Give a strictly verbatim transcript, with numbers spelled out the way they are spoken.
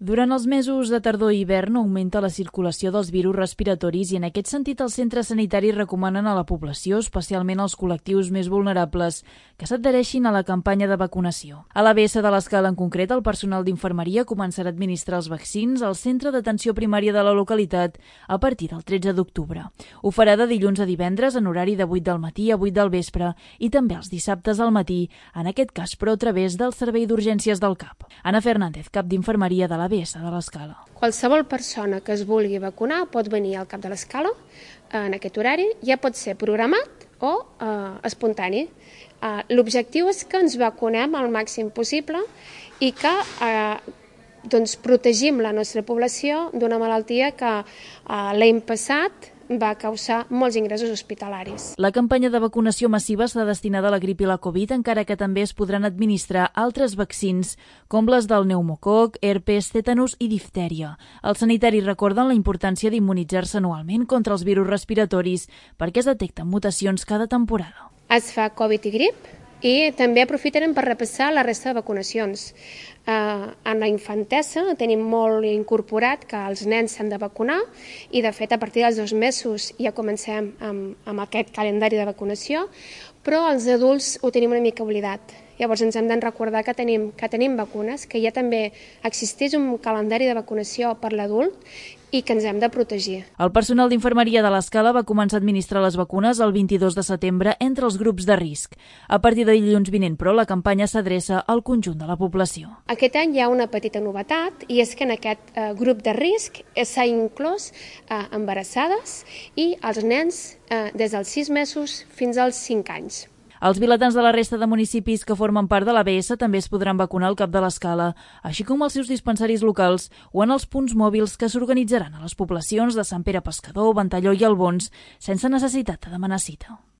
Durant els mesos de tardor i hivern augmenta la circulació dels virus respiratoris i en aquest sentit els centres sanitaris recomanen a la població, especialment als col·lectius més vulnerables, que s'adhereixin a la campanya de vacunació. A l'A B S de l'Escala en concret, el personal d'infermeria començarà a administrar els vaccins al centre d'atenció primària de la localitat a partir del tretze d'octubre. Ho farà de dilluns a divendres en horari de vuit del matí a vuit del vespre i també els dissabtes al matí, en aquest cas però a través del Servei d'Urgències del C A P. Anna Fernández, cap d'infermeria de l'A B S de l'Escala. Qualsevol persona que es vulgui vacunar pot venir al cap de l'Escala en aquest horari, ja pot ser programat o eh, espontani. Eh, L'objectiu és que ens vacunem al màxim possible i que eh, doncs, protegim la nostra població d'una malaltia que eh, l'any passat va causar molts ingressos hospitalaris. La campanya de vacunació massiva està destinada a la grip i la Covid, encara que també es podran administrar altres vaccins, com les del pneumococ, herpes, tètanus i diftèria. Els sanitaris recorden la importància d'immunitzar-se anualment contra els virus respiratoris perquè es detecten mutacions cada temporada. Es fa Covid i grip i també aprofiten per repassar la resta de vacunacions. Eh, en la infantesa tenim molt incorporat que els nens s'han de vacunar i de fet a partir dels dos mesos ja comencem amb, amb aquest calendari de vacunació, però els adults ho tenim una mica oblidat. Llavors ens hem de recordar que tenim, que tenim vacunes, que ja també existeix un calendari de vacunació per l'adult i que ens hem de protegir. El personal d'infermeria de l'Escala va començar a administrar les vacunes el vint-i-dos de setembre entre els grups de risc. A partir de dilluns vinent, però, la campanya s'adreça al conjunt de la població. Aquest any hi ha una petita novetat i és que en aquest eh, grup de risc s'ha inclòs eh, embarassades i els nens eh, des dels sis mesos fins als cinc anys. Els vilatans de la resta de municipis que formen part de l'A B S també es podran vacunar al cap de l'Escala, així com als seus dispensaris locals o en els punts mòbils que s'organitzaran a les poblacions de Sant Pere Pescador, Ventalló i Albons, sense necessitat de demanar cita.